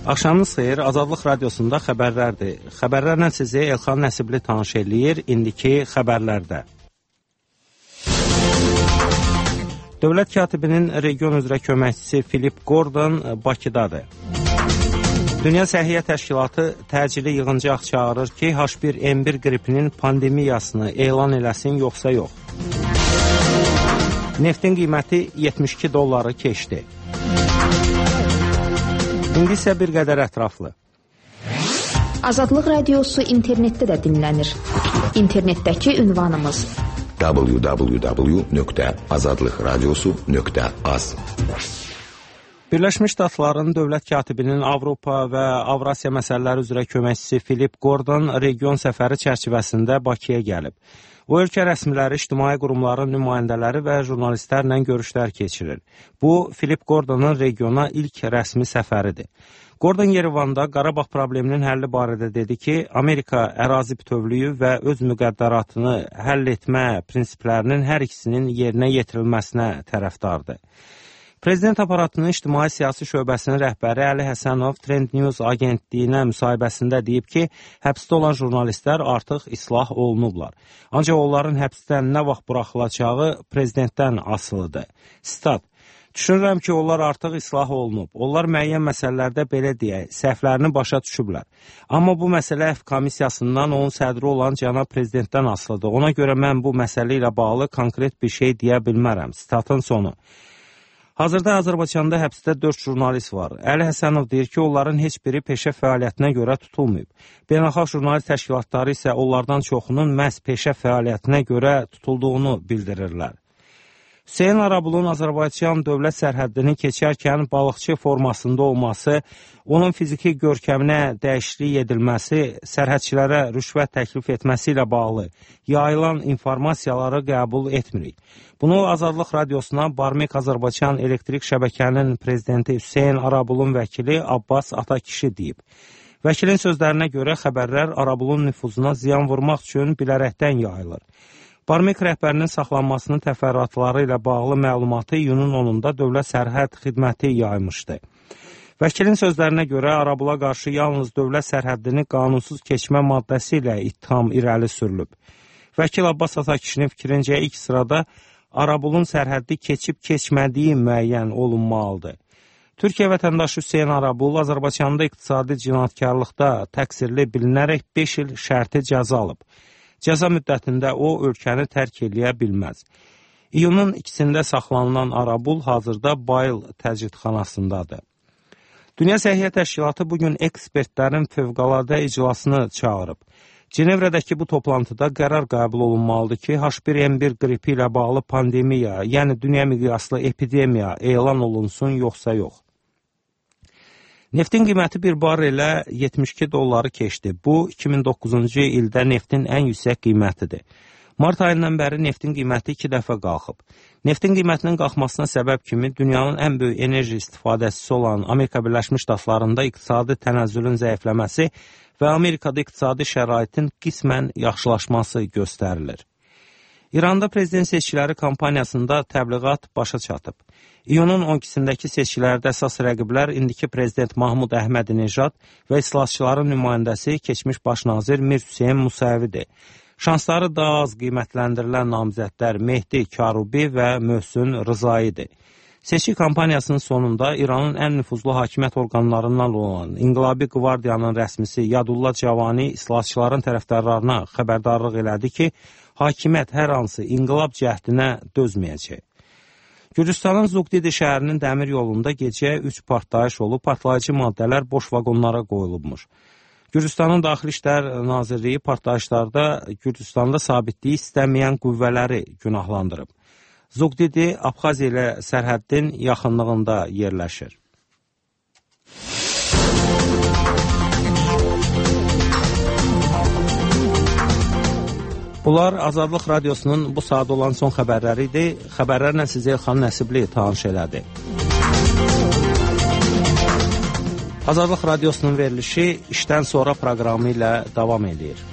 Axşamınız xeyir, Azadlıq Radiosunda xəbərlərdir. Xəbərlərlə sizi Elxan Nəsibli tanış eləyir, indiki xəbərlərdə. Dövlət katibinin region üzrə köməkçisi Philip Gordon Bakıdadır. Dünya Səhiyyə Təşkilatı təcili yığıncaq çağırır ki, H1N1 qripinin pandemiyasını elan eləsin, yoxsa yox. Neftin qiyməti $72 keçdi. İndi isə bir qədər ətraflı. Azadlıq Radiosu internetdə də dinlənir. İnternetdəki ünvanımız www.azadlıqradiosu.az. Birləşmiş Ştatların dövlət katibinin Avropa və Avrasiya məsələləri üzrə köməkçisi Philip Gordon region səfəri çərçivəsində Bakıya gəlib. O, ölkə rəsmiləri, ictimai qurumların nümayəndələri və jurnalistlərlə görüşlər keçirir. Bu, Philip Gordonun regiona ilk rəsmi səfəridir. Gordon Yerevanda Qarabağ probleminin həlli barədə dedi ki, Amerika ərazi bütövlüyü və öz müqəddəratını həll etmə prinsiplərinin hər ikisinin yerinə yetirilməsinə tərəfdardır. Prezident aparatının ictimai-siyasi şöbəsinin rəhbəri Əli Həsənov Trend News agentliyinə müsahibəsində deyib ki, həbsdə olan jurnalistlər artıq islah olunublar. Ancaq onların həbsdən nə vaxt buraxılacağı prezidentdən asılıdır. Sitat: "Düşünürəm ki, onlar artıq islah olunub. Onlar müəyyən məsələlərdə belə deyək, səhvlərini başa düşüblər. Amma bu məsələ F komissiyasından onun sədri olan cənab prezidentdən asılıdır. Ona görə mən bu məsələ ilə bağlı konkret bir şey deyə bilmərəm." Sitatın sonu. Hazırda Azərbaycanda həbsdə 4 jurnalist var. Əli Həsənov deyir ki, onların heç biri peşə fəaliyyətinə görə tutulmayıb. Beynəlxalq jurnalist təşkilatları isə onlardan çoxunun məhz peşə fəaliyyətinə görə tutulduğunu bildirirlər. Hüseyn Arabulun Azərbaycan dövlət sərhəddini keçərkən balıqçı formasında olması, onun fiziki görkəminə dəyişiklik edilməsi, sərhədçilərə rüşvət təklif etməsi ilə bağlı yayılan informasiyaları qəbul etmirik. Bunu Azadlıq Radiosuna Barmek Azərbaycan elektrik şəbəkənin prezidenti Hüseyn Arabulun vəkili Abbas Atakişi deyib. Vəkilin sözlərinə görə xəbərlər Arabulun nüfuzuna ziyan vurmaq üçün bilərəkdən yayılır. Barmek rəhbərinin saxlanmasının təfərrüatları ilə bağlı məlumatı iyunun 10-da Dövlət Sərhəd Xidməti yaymışdı. Vəkilin sözlərinə görə Arabula qarşı yalnız dövlət sərhəddini qanunsuz keçmə maddəsi ilə ittiham irəli sürülüb. Vəkil Abbas Atakişinin fikrincə ilk sırada Arabulun sərhəddi keçib-keçmədiyi müəyyən olunmalıdır. Türkiyə vətəndaşı Hüseyn Arabul Azərbaycanda iqtisadi cinayətkarlıqda təqsirli bilinərək 5 il şərti cəza alıb. Cəza müddətində o, ölkəni tərk eləyə bilməz. İyunun 2-də saxlanılan Arabul hazırda Bayıl təcridxanasındadır. Dünya Səhiyyə Təşkilatı bugün ekspertlərin fövqəladə iclasını çağırıb. Cenevrədəki bu toplantıda qərar qəbul olunmalıdır ki, H1N1 qripi ilə bağlı pandemiya, yəni dünya miqyaslı epidemiya elan olunsun, yoxsa yox. Neftin qiyməti bir barrelə $72 keçdi. Bu, 2009-cu ildə neftin ən yüksək qiymətidir. Mart ayından bəri neftin qiyməti 2 dəfə qalxıb. Neftin qiymətinin qalxmasına səbəb kimi dünyanın ən böyük enerji istifadəçisi olan Amerika Birləşmiş Ştatlarında iqtisadi tənəzzülün zəifləməsi və Amerikada iqtisadi şəraitin qismən yaxşılaşması göstərilir. İranda prezident seçkiləri kampaniyasında təbliğat başa çatıb. İyunun 12-sindəki seçkilərdə əsas rəqiblər indiki prezident Mahmud Əhmədi-Nejad və islahatçıların nümayəndəsi keçmiş baş nazir Mir Hüseyn Musəvidir. Şansları daha az qiymətləndirilən namizədlər Mehdi Karubi və Möhsün Rızaidir. Seçki kampaniyasının sonunda İranın ən nüfuzlu hakimiyyət orqanlarından olan İnqilabi Qvardiyanın rəsmisi Yadullah Cavani islahatçıların tərəfdarlarına xəbərdarlıq elədi ki, hakimiyyət hər hansı inqilab cəhdinə dözməyəcək. Gürcüstanın Zugdidi şəhərinin dəmir yolunda gecə 3 partlayış olub, partlayıcı maddələr boş vaqonlara qoyulubmuş. Gürcüstanın Daxili İşlər Nazirliyi partlayışlarda Gürcüstanda sabitliyi istəməyən qüvvələri günahlandırıb. Zugdidi Abxaziya ilə sərhəddin yaxınlığında yerləşir. Bunlar Azadlıq Radiosunun bu saat olan son xəbərləri idi. Xəbərlərlə sizə Elxan Nəsibli tanış elədi. Azadlıq Radiosunun verilişi işdən sonra proqramı ilə davam edir.